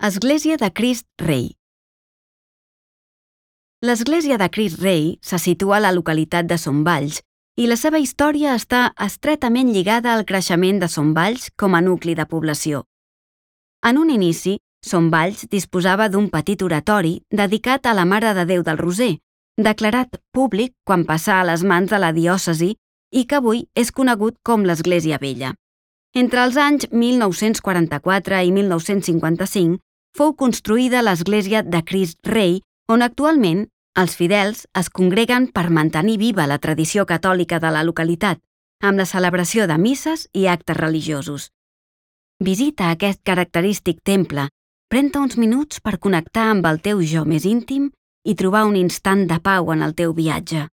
Església de Crist Rei. L'església de Crist Rei se situa a la localitat de Son Valls i la seva història està estretament lligada al creixement de Son Valls com a nucli de població. En un inici, Son Valls disposava d'un petit oratori dedicat a la Mare de Déu del Roser, declarat públic quan passà a les mans de la diòcesi i que avui és conegut com l'Església Vella. Entre els anys 1944 i 1955 fou construïda l'església de Crist Rei, on actualment els fidels es congreguen per mantenir viva la tradició catòlica de la localitat, amb la celebració de misses i actes religiosos. Visita aquest característic temple, pren-te uns minuts per connectar amb el teu jo més íntim i trobar un instant de pau en el teu viatge.